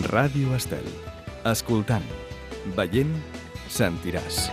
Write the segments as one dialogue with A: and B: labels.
A: Ràdio Estel. Escoltant, veient, sentiràs.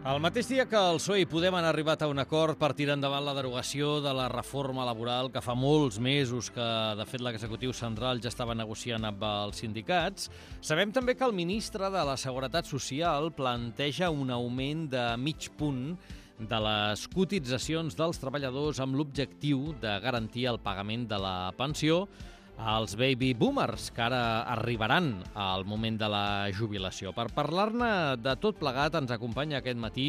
B: El mateix dia que el PSOE i Podem han arribat a un acord per tirar endavant la derogació de la reforma laboral que fa molts mesos que, de fet, l'executiu central ja estava negociant amb els sindicats, sabem també que el ministre de la Seguretat Social planteja un augment de mig punt de les cotitzacions dels treballadors amb l'objectiu de garantir el pagament de la pensió als baby boomers, que ara arribaran al moment de la jubilació. Per parlar-ne de tot plegat ens acompanya aquest matí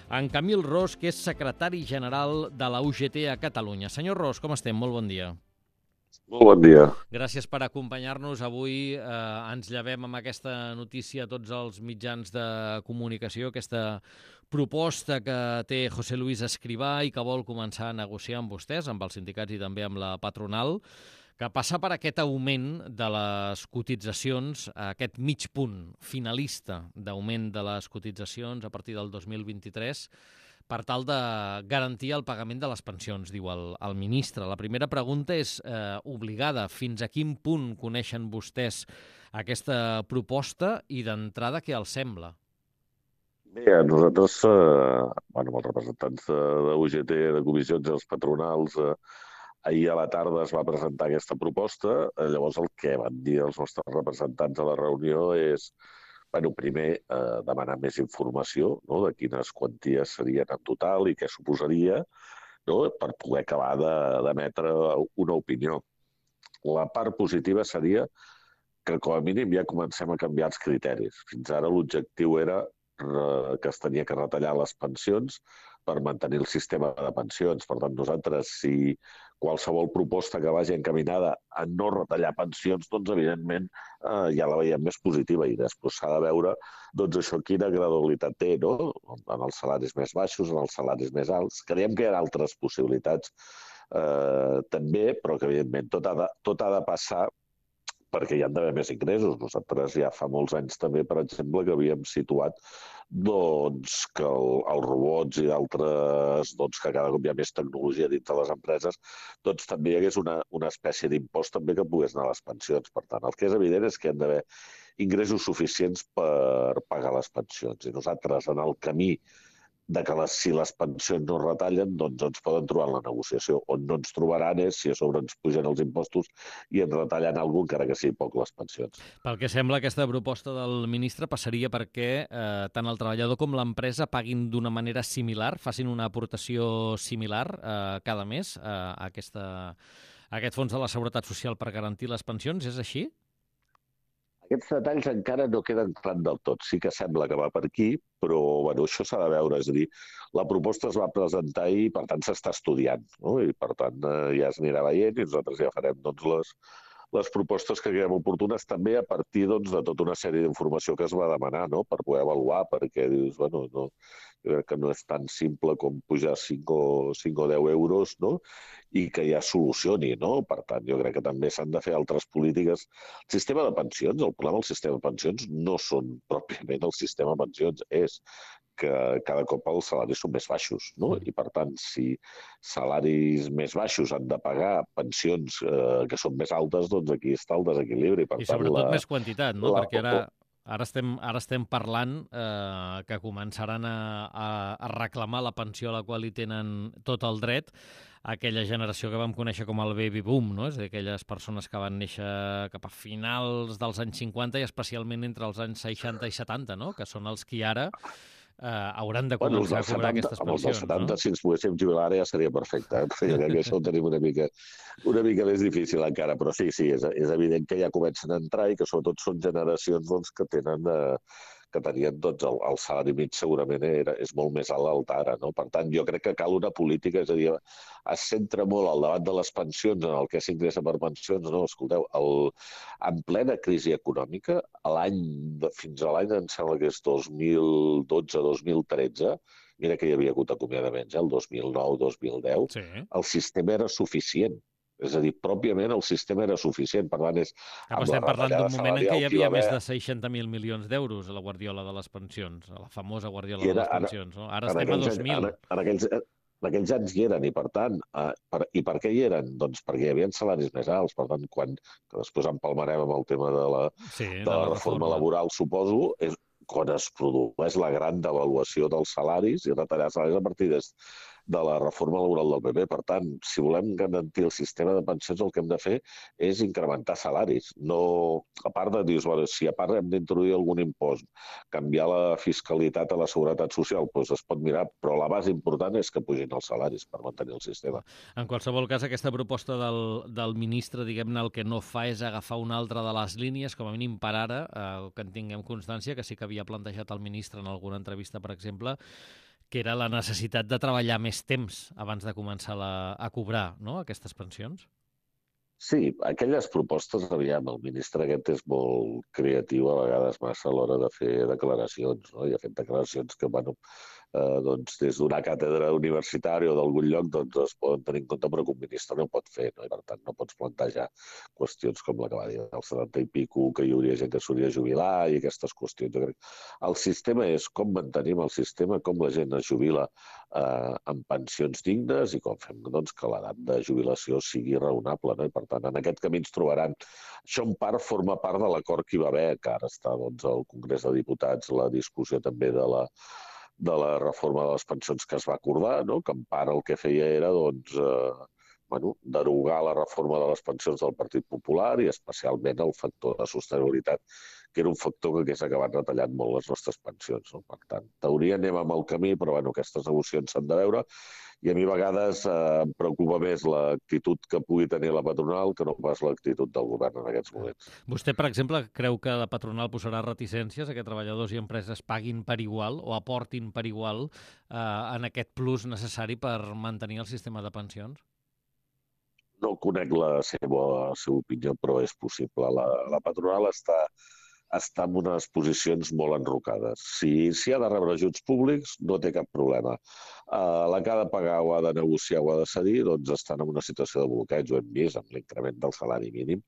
B: en Camil Ros, que és secretari general de la UGT a Catalunya. Senyor Ros, com estem? Molt bon dia.
C: Molt bon dia.
B: Gràcies per acompanyar-nos. Avui ens llevem amb aquesta notícia a tots els mitjans de comunicació, aquesta proposta que té José Luis Escrivá i que vol començar a negociar amb vostès, amb els sindicats i també amb la patronal, que passa per aquest augment de les cotitzacions, aquest mig punt finalista d'augment de les cotitzacions a partir del 2023, per tal de garantir el pagament de les pensions, diu el ministre. La primera pregunta és obligada. Fins a quin punt coneixen vostès aquesta proposta i d'entrada què els sembla?
C: Bé, nosaltres, amb els representants de UGT, de comissions i els patronals, ahir a la tarda es va presentar aquesta proposta. Llavors el que van dir els nostres representants a la reunió és, primer, demanar més informació, no?, de quines quanties serien en total i què suposaria, no?, per poder acabar d'emetre una opinió. La part positiva seria que, com a mínim, ja comencem a canviar els criteris. Fins ara l'objectiu era que es tenia que retallar les pensions per mantenir el sistema de pensions. Per tant, nosaltres, si qualsevol proposta que vagi encaminada a no retallar pensions, doncs, evidentment, ja la veiem més positiva i després s'ha de veure això quina gradualitat té, no?, en els salaris més baixos, en els salaris més alts. Creiem que hi ha altres possibilitats també, però que, evidentment, tot ha de passar perquè hi ha d'haver més ingressos. Nosaltres ja fa molts anys també, per exemple, que havíem situat que els robots i d'altres, que cada cop hi ha més tecnologia dins de les empreses, també hi hagués una espècie d'impost també que pogués anar a les pensions. Per tant, el que és evident és que hi ha d'haver ingressos suficients per pagar les pensions. I nosaltres, en el camí de que si les pensions no es retallen, doncs ens poden trobar en la negociació. On no ens trobaran és si a sobre ens pugen els impostos i ens retallen alguna cosa, encara que sigui poc, les pensions.
B: Pel que sembla, aquesta proposta del ministre passaria perquè tant el treballador com l'empresa paguin d'una manera similar, facin una aportació similar cada mes a aquest fons de la Seguretat Social per garantir les pensions. És així?
C: Aquests detalls encara no queden clars del tot. Sí que sembla que va per aquí, però això s'ha de veure. És a dir, la proposta es va presentar i, per tant, s'està estudiant, no? I, per tant, ja es anirà veient i nosaltres ja farem les propostes que creiem oportunes, també a partir de tota una sèrie d'informació que es va demanar, no?, per poder avaluar, perquè dius, jo crec que no és tan simple com pujar 5 o 10 euros, no?, i que ja solucioni, no? Per tant, jo crec que també s'han de fer altres polítiques. El sistema de pensions, el problema del sistema de pensions no són pròpiament el sistema de pensions, és que cada cop els salaris són més baixos, no? I, per tant, si salaris més baixos han de pagar pensions que són més altes, doncs aquí està el desequilibri.
B: I sobretot més quantitat, no? Perquè ara estem parlant que començaran a reclamar la pensió a la qual hi tenen tot el dret aquella generació que vam conèixer com el baby boom, no? És a dir, aquelles persones que van néixer cap a finals dels anys 50 i especialment entre els anys 60 i 70, no?, que són els que ara hauran de començar a cobrar aquestes pensions.
C: Amb els 70, si ens poguéssim jubilar, ja seria perfecte. Jo crec que això ho tenim una mica més difícil encara, però sí, és evident que ja comencen a entrar i que sobretot són generacions que tenien el salari mig segurament és molt més alt ara, no? Per tant, jo crec que cal una política, és a dir, es centra molt al debat de les pensions, en el que s'ingressa per pensions, no? Escolteu, en plena crisi econòmica, fins a l'any, em sembla que és 2012-2013, mira que hi havia hagut acomiadaments, el 2009-2010, el sistema era suficient. És a dir, pròpiament el sistema era suficient, per tant, amb la
B: Estem parlant
C: retallada
B: d'un moment en què hi
C: salarial que hi va
B: havia més
C: haver,
B: de 60.000 milions d'euros a la guardiola de les pensions, a la famosa guardiola
C: i
B: de
C: era,
B: les pensions. No? Ara
C: en
B: estem a
C: aquells,
B: 2.000.
C: en aquells anys hi eren, i per tant, i per què hi eren? Doncs perquè hi havia salaris més alts, per tant, que després empalmarem amb el tema
B: Sí,
C: de
B: de
C: la
B: la
C: reforma
B: reforma.
C: laboral, suposo, és quan es produeix la gran devaluació dels salaris i retallar salaris a partir de la reforma laboral del PP. Per tant, si volem garantir el sistema de pensions, el que hem de fer és incrementar salaris. No, a part de dir, bueno, si a part hem d'introduir algun impost, canviar la fiscalitat a la seguretat social, doncs es pot mirar, però la base important és que pugin els salaris per mantenir el sistema.
B: En qualsevol cas, aquesta proposta del ministre, diguem-ne, el que no fa és agafar una altra de les línies, com a mínim per ara, que en tinguem constància, que sí que havia plantejat el ministre en alguna entrevista, per exemple, que era la necessitat de treballar més temps abans de començar a cobrar, no?, aquestes pensions.
C: Sí, aquelles propostes, aviam, el ministre aquest és molt creatiu a vegades massa a l'hora de fer declaracions, no? I ha fet declaracions que, bueno, doncs des d'una càtedra universitària o d'algun lloc doncs es poden tenir en compte, però que un ministre no pot fer, no? I per tant no pots plantejar qüestions com la que va dir del 70 i pico, que hi hauria gent que s'hauria de jubilar i aquestes qüestions. Jo crec que el sistema és com mantenim el sistema, com la gent es jubila amb pensions dignes i com fem doncs, que l'edat de jubilació sigui raonable, no? I per tant, en aquest camí ens trobaran. Això en part forma part de l'acord que hi va haver, que ara està doncs, al Congrés de Diputats, la discussió també de la reforma de les pensions que es va acordar, no? Que en part el que feia era doncs, derogar la reforma de les pensions del Partit Popular i especialment el factor de sostenibilitat, que era un factor que hagués acabat retallant molt les nostres pensions. No? Per tant, teoria anem amb el camí, però aquestes negociacions s'han de veure. I a mi a vegades em preocupa més l'actitud que pugui tenir la patronal que no pas l'actitud del govern en aquests moments.
B: Vostè, per exemple, creu que la patronal posarà reticències a que treballadors i empreses paguin per igual o aportin per igual en aquest plus necessari per mantenir el sistema de pensions?
C: No conec la seva opinió, però és possible. La patronal està en unes posicions molt enrocades. Si ha de rebre ajuts públics, no té cap problema. La que ha de pagar o ha de negociar o ha de cedir, doncs estan en una situació de bloqueig. Ho hem vist amb l'increment del salari mínim,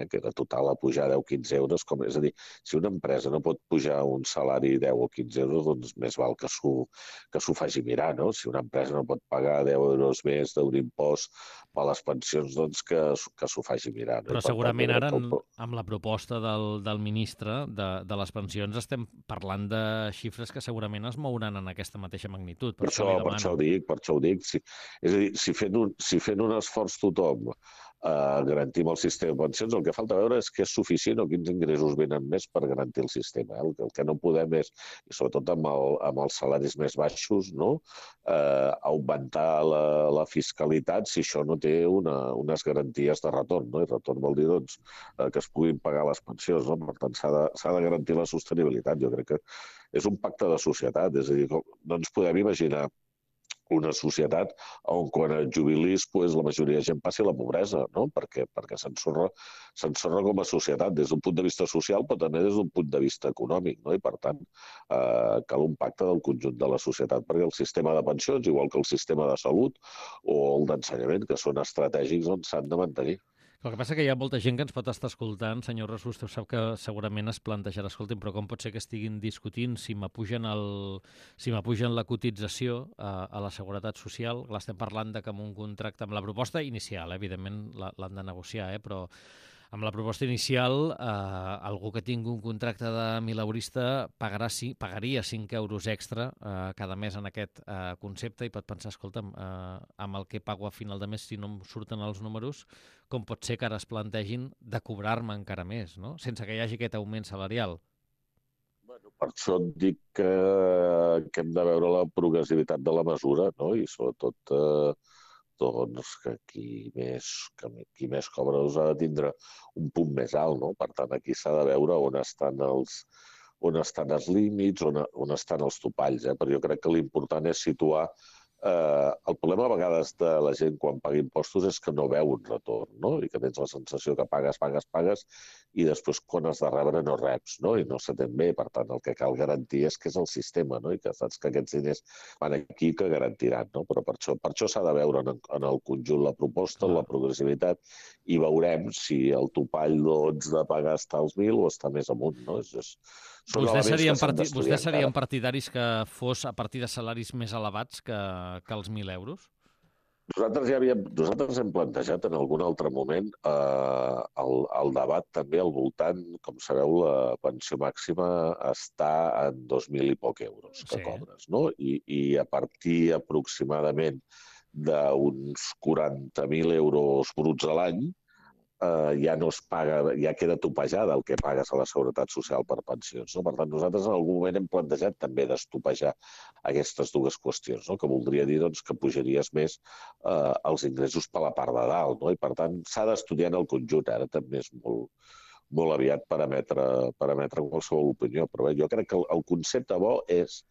C: que de total a pujar 10-15 euros. És a dir, si una empresa no pot pujar un salari 10 o 15 euros, doncs més val que s'ho faci mirar, no? Si una empresa no pot pagar 10 euros més d'un impost per les pensions, doncs que s'ho faci mirar. No?
B: Però segurament ara, amb la proposta del ministre de les pensions, estem parlant de xifres que segurament es mouran en aquesta mateixa magnitud.
C: Per això ho dic. És a dir, si fent un esforç tothom garantim el sistema de pensions, el que falta veure és que és suficient o quins ingressos venen més per garantir el sistema. El que no podem és, i sobretot amb els salaris més baixos, no? Augmentar la fiscalitat si això no té unes garanties de retorn. No? I retorn vol dir doncs, que es puguin pagar les pensions. No? Per tant, s'ha de garantir la sostenibilitat. Jo crec que és un pacte de societat. És a dir, no ens podem imaginar una societat on quan et jubilis la majoria de gent passi a la pobresa, no? Perquè s'ensorra com a societat des d'un punt de vista social, però també des d'un punt de vista econòmic, no? I per tant cal un pacte del conjunt de la societat perquè el sistema de pensions, igual que el sistema de salut o el d'ensenyament, que són estratègics, doncs s'han de mantenir.
B: El que passa que hi ha molta gent que ens pot estar escoltant. Senyor Ras, vostè sap que segurament es plantejarà, escolti'm, però com pot ser que estiguin discutint si m'apugen la cotització a la Seguretat Social? Clar, estem parlant de que amb un contracte, amb la proposta inicial, evidentment l'han de negociar, però amb la proposta inicial, algú que tingui un contracte de mileurista pagaria 5 euros extra cada mes en aquest concepte i pot pensar, escolta'm, amb el que pago a final de mes, si no em surten els números, com pot ser que ara es plantegin de cobrar-me encara més, no? Sense que hi hagi aquest augment salarial?
C: Per això et dic que hem de veure la progressivitat de la mesura, no? I sobretot doncs que qui més cobra ha de tindre un punt més alt, no? Per tant, aquí s'ha de veure on estan els límits, on estan els topalls, Però jo crec que l'important és situar El problema a vegades de la gent quan paga impostos és que no veu un retorn, no? I que tens la sensació que pagues i després quan has de rebre no reps, no? I no s'atén bé. Per tant, el que cal garantir és que és el sistema, no? I que saps que aquests diners van aquí que garantiran, no? Però per això s'ha de veure en el conjunt la proposta, la progressivitat, i veurem si el topall de pagar està als 1.000 o està més amunt, no?
B: Vostès serien partidaris que fos a partir de salaris més elevats que els 1.000 euros?
C: Nosaltres hem plantejat en algun altre moment el debat també al voltant, com sabeu, la pensió màxima està en 2.000 i poc euros que cobres, no? I a partir aproximadament d'uns 40.000 euros bruts a l'any, ja no es paga, ja queda topejada el que pagues a la Seguretat Social per pensions, no? Per tant, nosaltres en algun moment hem plantejat també d'estopejar aquestes dues qüestions, no? Que voldria dir doncs, que pujaries més els ingressos per la part de dalt, no? I per tant s'ha d'estudiar en el conjunt, ara també és molt aviat per emetre qualsevol opinió, però bé, jo crec que el concepte bo és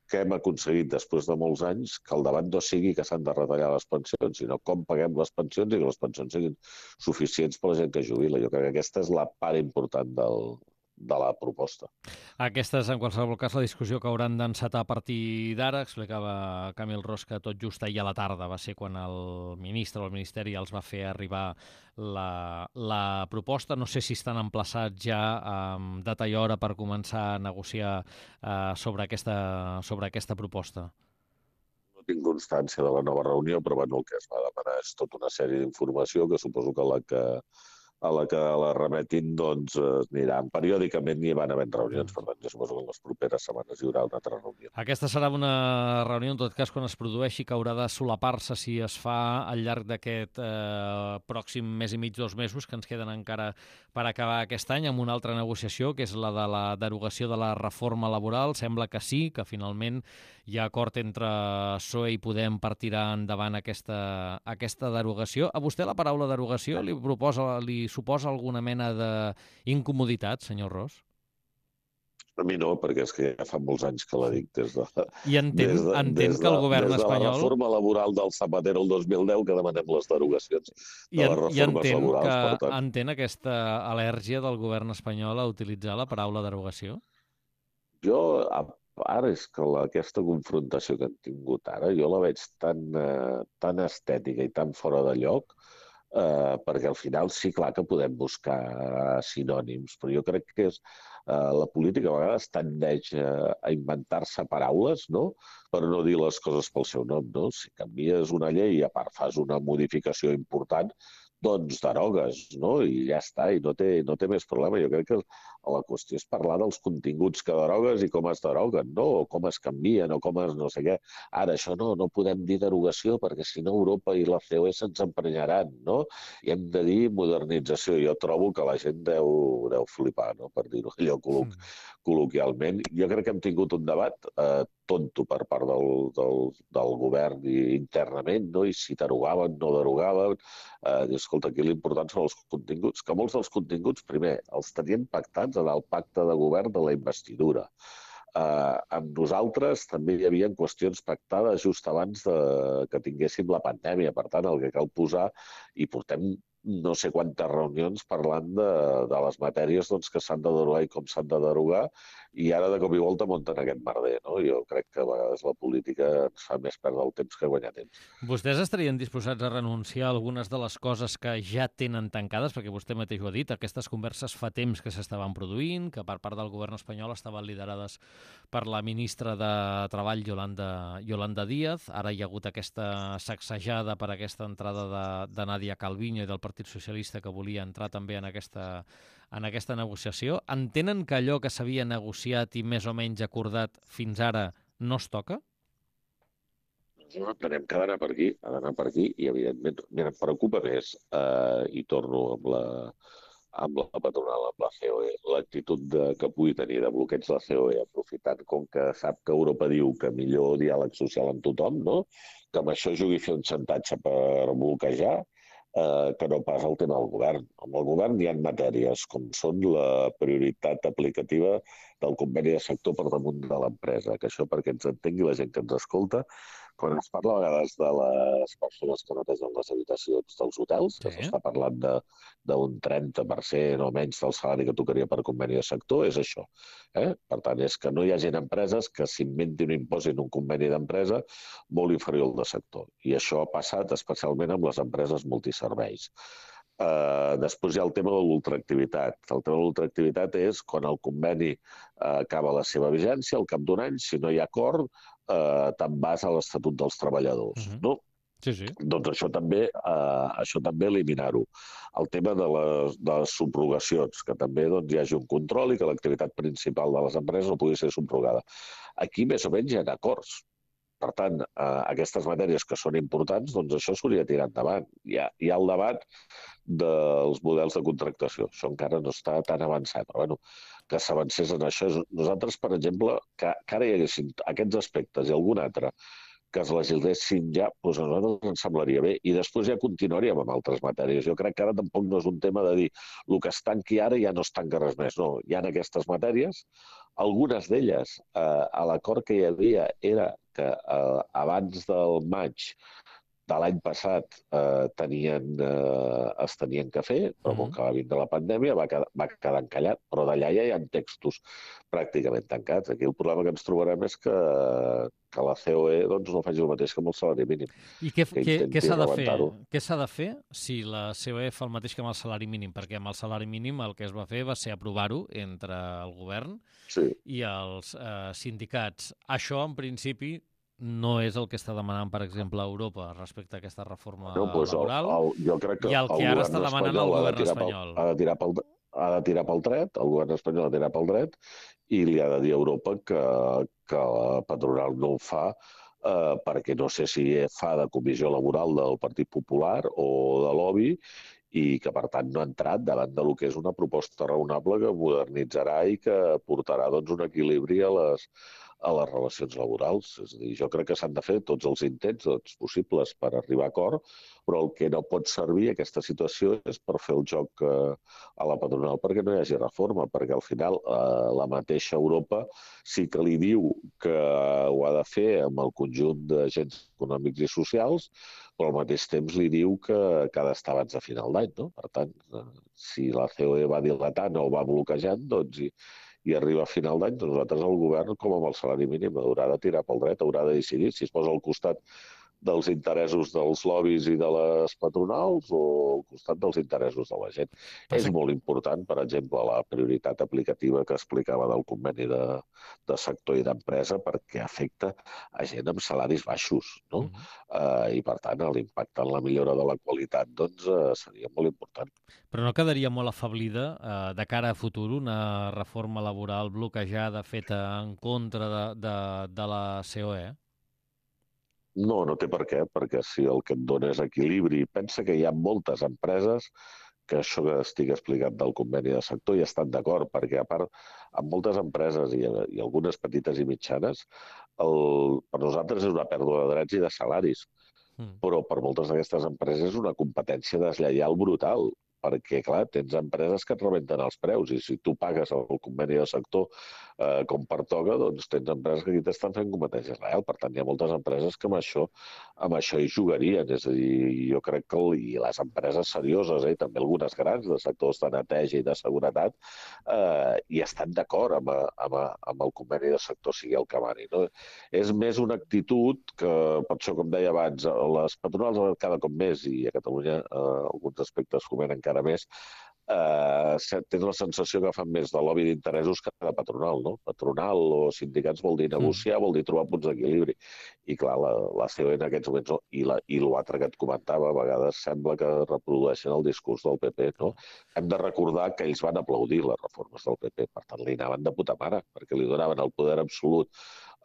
C: que hem aconseguit després de molts anys que el debat no sigui que s'han de retallar les pensions, sinó com paguem les pensions i que les pensions siguin suficients per a la gent que jubila. Jo crec que aquesta és la part important de la proposta.
B: Aquesta és, en qualsevol cas, la discussió que hauran d'encetar a partir d'ara. Explicava Camil Ros que tot just ahir a la tarda va ser quan el ministre o el Ministeri els va fer arribar la proposta. No sé si estan emplaçats ja amb data i hora per començar a negociar sobre aquesta proposta.
C: No tinc constància de la nova reunió, però bueno, el que es va demanar és tota una sèrie d'informació que suposo que a la que la remetin doncs aniran periòdicament i van havent reunions. Per tant, jo suposo que en les properes setmanes hi haurà una altra reunió.
B: Aquesta serà una reunió, en tot cas, quan es produeixi, que haurà de solapar-se si es fa al llarg d'aquest pròxim mes i mig, 2 mesos, que ens queden encara per acabar aquest any, amb una altra negociació, que és la de la derogació de la reforma laboral. Sembla que sí, que finalment hi ha acord entre PSOE i Podem per tirar endavant aquesta derogació. A vostè la paraula derogació li suposa alguna mena d'incomoditat, senyor Ros?
C: A mi no, perquè és que ja fa molts anys que la dic des de...
B: I entén que el govern espanyol...
C: Des de la reforma laboral del Zapatero el 2010 que demanem les derogacions de les reformes laborals.
B: I entén aquesta al·lèrgia del govern espanyol a utilitzar la paraula derogació?
C: Jo, ara és que aquesta confrontació que han tingut ara, jo la veig tan estètica i tan fora de lloc, perquè al final sí, clar que podem buscar sinònims, però jo crec que la política a vegades tendeix a inventar-se paraules, no?, per no dir les coses pel seu nom, no? Si canvies una llei i a part fas una modificació important, doncs derogues, no? I ja està, i no té més problema. Jo crec que la qüestió és parlar dels continguts que derogues i com es deroguen, no? O com es canvien, o com es no sé què. Ara, això no podem dir derogació perquè si no Europa i la COE se'ns emprenyaran, no? I hem de dir modernització. Jo trobo que la gent deu flipar, no?, per dir-ho allò col·loquialment. Jo crec que hem tingut un debat tonto per part del govern internament, no? I si derogaven, no derogaven. Escolta, aquí l'important són els continguts, que molts dels continguts, primer, els tenien pactats en el pacte de govern de la investidura. Amb nosaltres també hi havia qüestions pactades just abans que tinguéssim la pandèmia. Per tant, el que cal posar, i portem no sé quantes reunions parlant de les matèries que s'han de derogar i com s'han de derogar, i ara de cop i volta munten aquest merder, no? Jo crec que a vegades la política ens fa més perdre el temps que guanyar temps.
B: Vostès estarien disposats a renunciar a algunes de les coses que ja tenen tancades, perquè vostè mateix ho ha dit, aquestes converses fa temps que s'estaven produint, que per part del govern espanyol estaven liderades per la ministra de Treball, Yolanda Díaz. Ara hi ha hagut aquesta sacsejada per aquesta entrada de Nadia Calviño i del Partit Socialista, que volia entrar també en aquesta negociació. Entenen que allò que s'havia negociat i més o menys acordat fins ara no es toca?
C: No entenem que ha d'anar per aquí, i evidentment, mira, em preocupa més, i torno amb la patronal, amb la COE, l'actitud que pugui tenir de bloqueig la COE, aprofitant com que sap que Europa diu que millor diàleg social amb tothom, no?, que amb això jugui a fer un xantatge per bloquejar, que no pas el tema del govern. Amb el govern hi ha matèries com són la prioritat aplicativa del conveni de sector per damunt de l'empresa, que això, perquè ens entengui la gent que ens escolta, quan es parla a vegades de les persones que netegen les habitacions dels hotels, que s'està parlant d'un 30% o menys del salari que tocaria per conveni de sector, és això. Per tant, és que no hi hagin empreses que s'inventin o imposin un conveni d'empresa molt inferior al de sector. I això ha passat especialment amb les empreses multiserveis. Després hi ha el tema de l'ultraactivitat. El tema de l'ultraactivitat és quan el conveni acaba la seva vigència, al cap d'un any, si no hi ha acord, te'n vas a l'Estatut dels Treballadors. No?
B: Sí.
C: Doncs això també eliminar-ho. El tema de les subrogacions, que també hi hagi un control i que l'activitat principal de les empreses no pugui ser subrogada. Aquí més o menys hi ha acords. Per tant, aquestes matèries que són importants, doncs això s'hauria de tirar endavant. Hi ha el debat dels models de contractació. Això encara no està tan avançat, però bueno, que s'avancés en això. Nosaltres, per exemple, que ara hi haguessin aquests aspectes i algun altre que es legislessin ja, doncs a nosaltres ens semblaria bé. I després ja continuaríem amb altres matèries. Jo crec que ara tampoc no és un tema de dir el que es tanqui ara ja no es tanca res més. No, hi ha aquestes matèries. Algunes d'elles, a l'acord que hi havia, era que abans del maig de l'any passat es tenien que fer, però com que va vindre la pandèmia va quedar encallat. Però d'allà ja hi ha textos pràcticament tancats. Aquí el problema que ens trobarem és que la COE no faci el mateix que amb el salari mínim.
B: I què s'ha de fer? Què s'ha de fer si la COE fa el mateix que amb el salari mínim? Perquè amb el salari mínim el que es va fer va ser aprovar-ho entre el govern i els sindicats. Això, en principi, no és el que està demanant, per exemple, Europa respecte a aquesta reforma laboral
C: jo crec que
B: i el que ara està demanant el govern espanyol.
C: Ha de tirar pel dret, el govern espanyol ha de tirar pel dret i li ha de dir a Europa que la patronal no ho fa perquè no sé si fa de comissió laboral del Partit Popular o de lobby i que, per tant, no ha entrat davant del que és una proposta raonable que modernitzarà i que portarà un equilibri a les relacions laborals. És a dir, jo crec que s'han de fer tots els intents possibles per arribar a acord, però el que no pot servir aquesta situació és per fer el joc a la patronal perquè no hi hagi reforma, perquè al final la mateixa Europa sí que li diu que ho ha de fer amb el conjunt d'agents econòmics i socials, però al mateix temps li diu que ha d'estar abans de final d'any. No? Per tant, si la COE va dilatant o va bloquejant, i arriba a final d'any, doncs nosaltres el govern, com amb el salari mínim, haurà de tirar pel dret, haurà de decidir si es posa al costat dels interessos dels lobbies i de les patronals o al costat dels interessos de la gent. És molt important, per exemple, la prioritat aplicativa que explicava del conveni de sector i d'empresa perquè afecta a gent amb salaris baixos, no? I, per tant, l'impacte en la millora de la qualitat seria molt important.
B: Però no quedaria molt afablida de cara a futur una reforma laboral bloquejada feta en contra de la COE?
C: No, no té per què, perquè si el que et dona és equilibri, pensa que hi ha moltes empreses que això que estic explicat del conveni de sector hi estan d'acord, perquè a part, amb moltes empreses i algunes petites i mitjanes, per nosaltres és una pèrdua de drets i de salaris, però per moltes d'aquestes empreses és una competència deslleial brutal, perquè, clar, tens empreses que et rebenten els preus i si tu pagues el conveni de sector com pertoca, doncs tens empreses que aquí t'estan fent competència real. Per tant, hi ha moltes empreses que amb això hi jugarien. És a dir, jo crec que i les empreses serioses, també algunes grans de sectors de neteja i de seguretat, hi estan d'acord amb el conveni de sector sigui el que mani. No? És més una actitud que, per això, com deia abans, les patronals cada cop més, i a Catalunya alguns aspectes foment encara més, tens la sensació que fan més de lobby d'interessos que de patronal, no? Patronal o sindicats vol dir negociar, vol dir trobar punts d'equilibri. I clar, la COE en aquests moments, i l'altre que et comentava, a vegades sembla que reprodueixen el discurs del PP, no? Hem de recordar que ells van aplaudir les reformes del PP, per tant li anaven de puta mare, perquè li donaven el poder absolut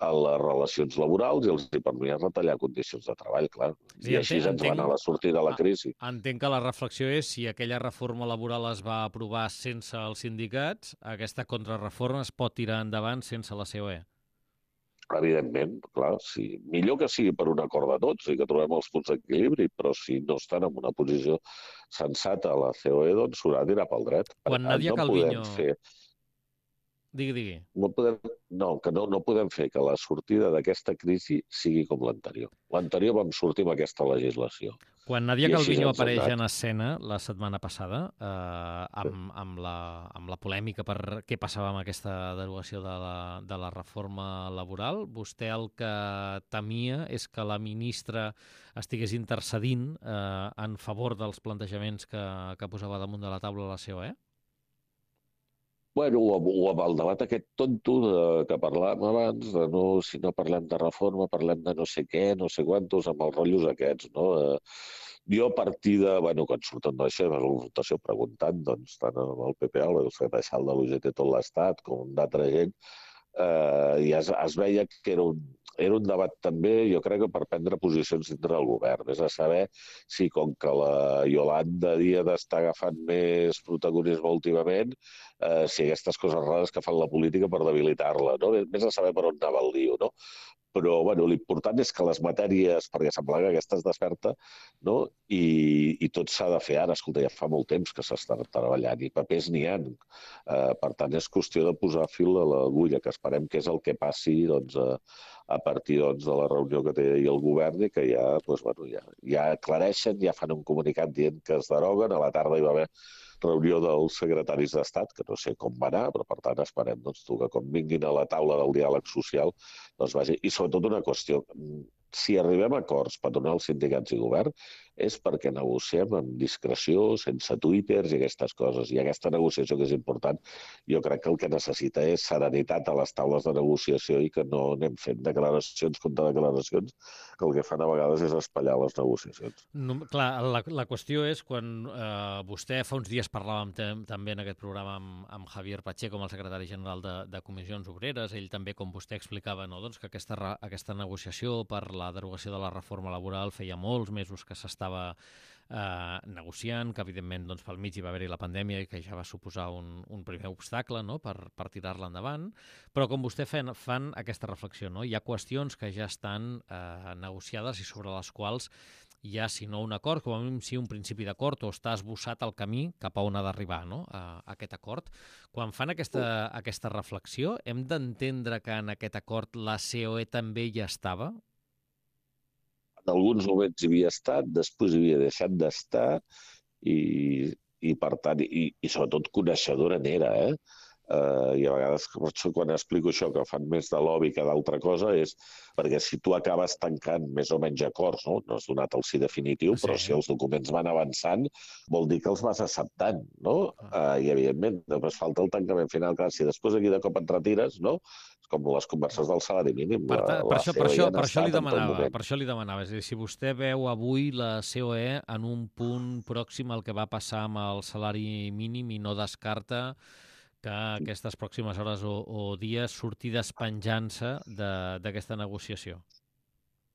C: a les relacions laborals i els permetien retallar condicions de treball, clar. I així ens va anar la sortida de la crisi.
B: Entenc que la reflexió és si aquella reforma laboral es va aprovar sense els sindicats, aquesta contrarreforma es pot tirar endavant sense la COE.
C: Evidentment, clar, sí. Millor que sigui per un acord de tots i que trobem els punts d'equilibri, però si no estan en una posició sensata a la COE, doncs s'haurà de tirar pel dret.
B: Quan Nadia Calviño... Digui.
C: No podem fer que la sortida d'aquesta crisi sigui com l'anterior. L'anterior vam sortir amb aquesta legislació.
B: Quan Nadia
C: I així
B: Calviño
C: ens ha
B: apareix
C: anat.
B: en escena la setmana passada, amb la polèmica per què passava amb aquesta derogació de la reforma laboral, vostè el que temia és que la ministra estigués intercedint en favor dels plantejaments que posava damunt de la taula la COE?
C: Bueno, o amb el debat aquest tonto que parlàvem abans, de no, si no parlem de reforma, parlem de no sé què, no sé quantos, amb els rotllos aquests, no? Jo a partir de, bueno, quan surten d'això, de la confrontació preguntant, doncs, tant amb el PP, el secretari de l'UGT tot l'Estat, com d'altra gent, i es veia que era un debat també, jo crec que per prendre posicions dintre del govern. És a saber si, com que la Iolanda Díaz està agafant més protagonisme últimament, si aquestes coses rares que fan la política per debilitar-la, no? Vés a saber per on anava el lío, no? Però bueno, l'important és que les matèries, perquè sembla que aquesta es desperta, no? I tot s'ha de fer ara. Escolta, ja fa molt temps que s'està treballant i papers n'hi ha. Per tant, és qüestió de posar fil a l'agulla, que esperem que és el que passi doncs, a partir doncs, de la reunió que té el govern i que ja, doncs, bueno, ja aclareixen, ja fan un comunicat dient que es deroguen. A la tarda hi va haver reunió dels secretaris d'Estat, que no sé com va anar, però per tant esperem doncs, que quan vinguin a la taula del diàleg social doncs vagi. I sobretot una qüestió, si arribem a acords patronals, sindicats i govern, és perquè negociem amb discreció, sense twitters i aquestes coses. I aquesta negociació que és important, jo crec que el que necessita és serenitat a les taules de negociació i que no anem fent declaracions contra declaracions, que el que fan a vegades és espatllar les negociacions.
B: No, clar, la qüestió és quan vostè fa uns dies parlàvem també en aquest programa amb Javier Pacheco, com el secretari general de Comissions Obreres, ell també, com vostè explicava, no, doncs que aquesta negociació per la derogació de la reforma laboral feia molts mesos que s'estava negociant, que evidentment doncs, pel mig hi va haver-hi la pandèmia i que ja va suposar un primer obstacle, no, per tirar-la endavant, però com vostè fan aquesta reflexió, no? Hi ha qüestions que ja estan negociades i sobre les quals hi ha, si no un acord, com a mínim sí un principi d'acord o està esbossat el camí cap a on ha d'arribar, no? A aquest acord. Quan fan aquesta reflexió, hem d'entendre que en aquest acord la COE també hi estava?
C: En alguns moments hi havia estat, després hi havia deixat d'estar i per tant, i sobretot coneixedora n'era, i a vegades, quan explico això, que fan més de lobby que d'altra cosa, és perquè si tu acabes tancant més o menys acords, no has donat el sí definitiu, però si els documents van avançant, vol dir que els vas acceptant, no? I, evidentment, després falta el tancament final. Clar, si després aquí de cop et retires, no? És com les converses del salari mínim.
B: Per això li demanava. És a dir, si vostè veu avui la COE en un punt pròxim al que va passar amb el salari mínim i no descarta que aquestes pròximes hores o dies surti despenjant-se d'aquesta negociació.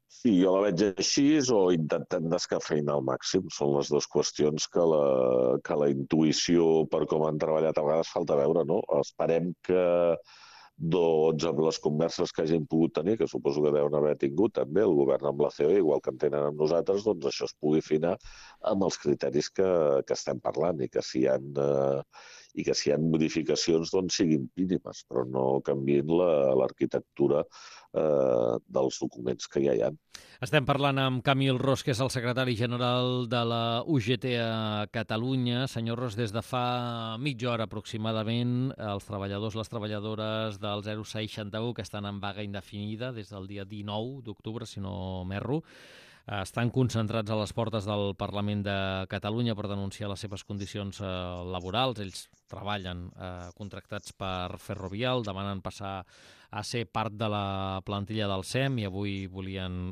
C: Sí, jo la veig així o intentant descafeïnar al màxim. Són les dues qüestions que la intuïció per com han treballat a vegades falta veure, no? Esperem que doncs amb les converses que hagin pogut tenir, que suposo que deuen haver tingut també el govern amb la COE, igual que en tenen amb nosaltres, doncs això es pugui afinar amb els criteris que estem parlant i que si hi ha modificacions doncs siguin mínimes, però no canviïn l'arquitectura dels documents que ja hi ha.
B: Estem parlant amb Camil Ros, que és el secretari general de la UGT a Catalunya. Senyor Ros, des de fa mitja hora aproximadament, els treballadors, les treballadores del 061 que estan en vaga indefinida des del dia 19 d'octubre, si no m'erro, estan concentrats a les portes del Parlament de Catalunya per denunciar les seves condicions laborals. Ells treballen contractats per Ferrovial, demanen passar a ser part de la plantilla del SEM i avui volien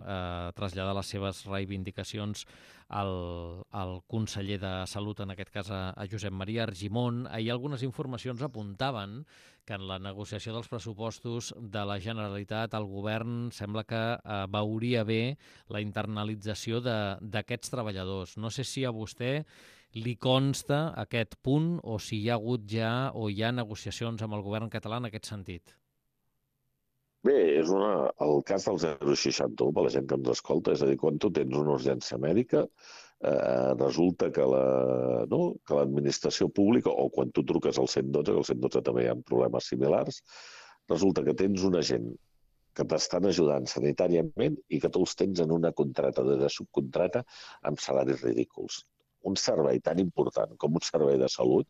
B: traslladar les seves reivindicacions al conseller de Salut, en aquest cas a Josep Maria Argimon. Ahir algunes informacions apuntaven que en la negociació dels pressupostos de la Generalitat el govern sembla que veuria bé la internalització d'aquests treballadors. No sé si a vostè li consta aquest punt o si hi ha hagut ja o hi ha negociacions amb el govern català en aquest sentit.
C: Bé, és el cas del 061, per la gent que ens escolta, és a dir, quan tu tens una urgència mèdica, resulta que l'administració pública, o quan tu truques al 112, que al 112 també hi ha problemes similars, resulta que tens una gent que t'estan ajudant sanitàriament i que tu els tens en una contracta de subcontrata amb salaris ridículs. Un servei tan important com un servei de salut,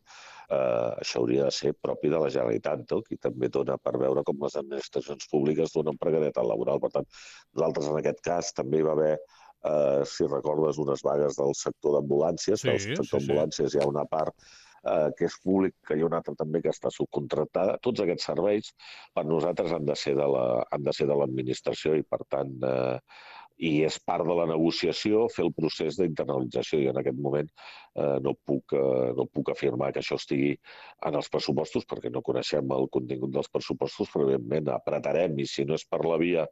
C: això hauria de ser propi de la Generalitat, no? Qui també dona per veure com les administracions públiques donen precarietat laboral. Per tant, nosaltres en aquest cas també hi va haver, si recordes, unes vagues del sector d'ambulàncies.
B: Sí,
C: del sector d'ambulàncies hi ha una part que és públic, que hi ha una altra també que està subcontractada. Tots aquests serveis per nosaltres han de ser de l'administració i, per tant, i és part de la negociació fer el procés d'internalització. I en aquest moment no puc afirmar que això estigui en els pressupostos perquè no coneixem el contingut dels pressupostos, però evidentment apretarem, i si no és per la via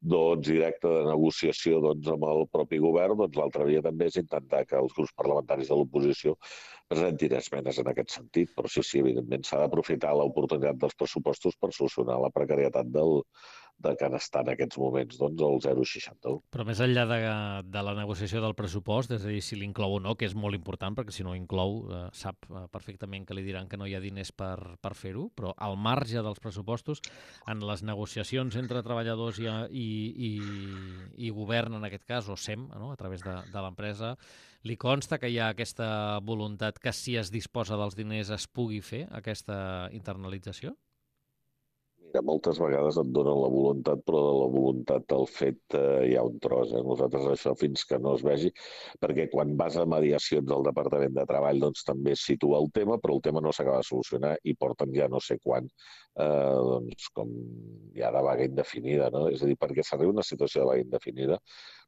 C: directa de negociació amb el propi govern, l'altra via també és intentar que els grups parlamentaris de l'oposició presentin esmenes en aquest sentit. Però sí, evidentment s'ha d'aprofitar l'oportunitat dels pressupostos per solucionar la precarietat del que està en aquests moments el 0,61.
B: Però més enllà de la negociació del pressupost, és a dir, si l'inclou o no, que és molt important, perquè si no inclou sap perfectament que li diran que no hi ha diners per fer-ho, però al marge dels pressupostos, en les negociacions entre treballadors i govern, en aquest cas, o SEM, no? A través de l'empresa, li consta que hi ha aquesta voluntat que si es disposa dels diners es pugui fer aquesta internalització?
C: Moltes vegades et donen la voluntat, però de la voluntat al fet hi ha un tros. Nosaltres això fins que no es vegi, perquè quan vas a mediacions del Departament de Treball també es situa el tema, però el tema no s'acaba de solucionar i porten ja no sé quan, com ja de vaga indefinida, no? És a dir, perquè s'arriba a una situació de vaga indefinida,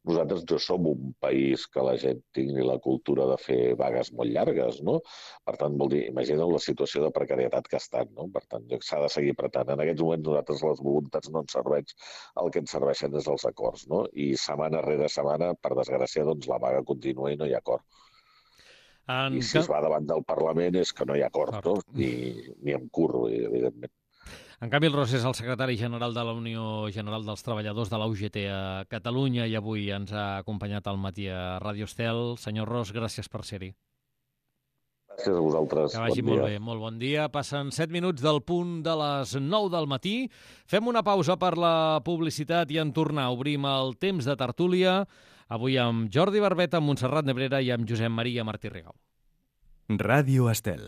C: nosaltres no som un país que la gent tingui la cultura de fer vagues molt llargues, no? Per tant, vol dir, imagina't la situació de precarietat que estan, no? Per tant, s'ha de seguir apretant. En aquests moments nosaltres les voluntats no ens serveix, el que ens serveixen és els acords, no? I setmana rere setmana, per desgràcia, la vaga continua i no hi ha acord. I si es va davant del Parlament és que no hi ha acord, no? Ni en curro, evidentment.
B: En canvi, el Ros és el secretari general de la Unió General dels Treballadors de la UGT a Catalunya i avui ens ha acompanyat al matí a Ràdio Estel. Senyor Ros, gràcies per ser-hi.
C: Gràcies a vosaltres.
B: Que vagi molt bé, molt bon dia. Passen 7 minuts del punt de les 9 del matí. Fem una pausa per la publicitat i en tornar obrim el temps de tertúlia. Avui amb Jordi Barbeta, amb Montserrat Nebrera i amb Josep Maria Martí Rigau.
A: Ràdio Estel.